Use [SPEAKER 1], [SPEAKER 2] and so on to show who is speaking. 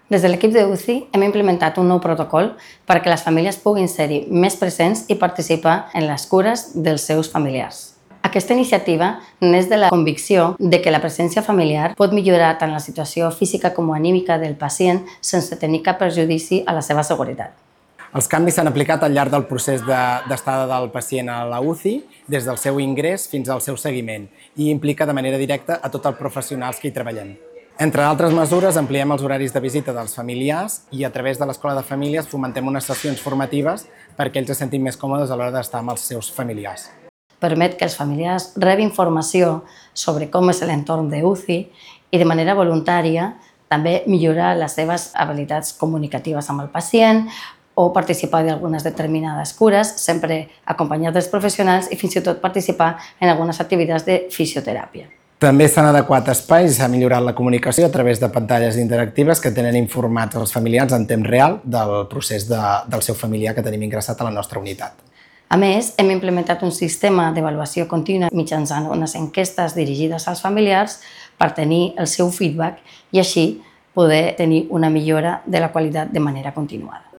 [SPEAKER 1] Des de l'equip d'UCI hem implementat un nou protocol perquè les famílies puguin ser-hi més presents i participar en les cures dels seus familiars. Aquesta iniciativa neix de la convicció de que la presència familiar pot millorar tant la situació física com anímica del pacient sense tenir cap perjudici a la seva seguretat.
[SPEAKER 2] Els canvis s'han aplicat al llarg del procés d'estada del pacient a la UCI, des del seu ingrés fins al seu seguiment, i implica de manera directa a tots els professionals que hi treballem. Entre altres mesures, ampliem els horaris de visita dels familiars i a través de l'Escola de Famílies fomentem unes sessions formatives perquè ells se sentin més còmodes a l'hora d'estar amb els seus familiars.
[SPEAKER 1] Permet que els familiars rebin informació sobre com és l'entorn d'UCI i de manera voluntària també millorar les seves habilitats comunicatives amb el pacient o participar d'algunes determinades cures, sempre acompanyats dels professionals i fins i tot participar en algunes activitats de fisioteràpia.
[SPEAKER 2] També s'han adequat espais i s'ha millorat la comunicació a través de pantalles interactives que tenen informats els familiars en temps real del procés del seu familiar que tenim ingressat a la nostra unitat.
[SPEAKER 1] A més, hem implementat un sistema d'avaluació contínua mitjançant unes enquestes dirigides als familiars per tenir el seu feedback i així poder tenir una millora de la qualitat de manera continuada.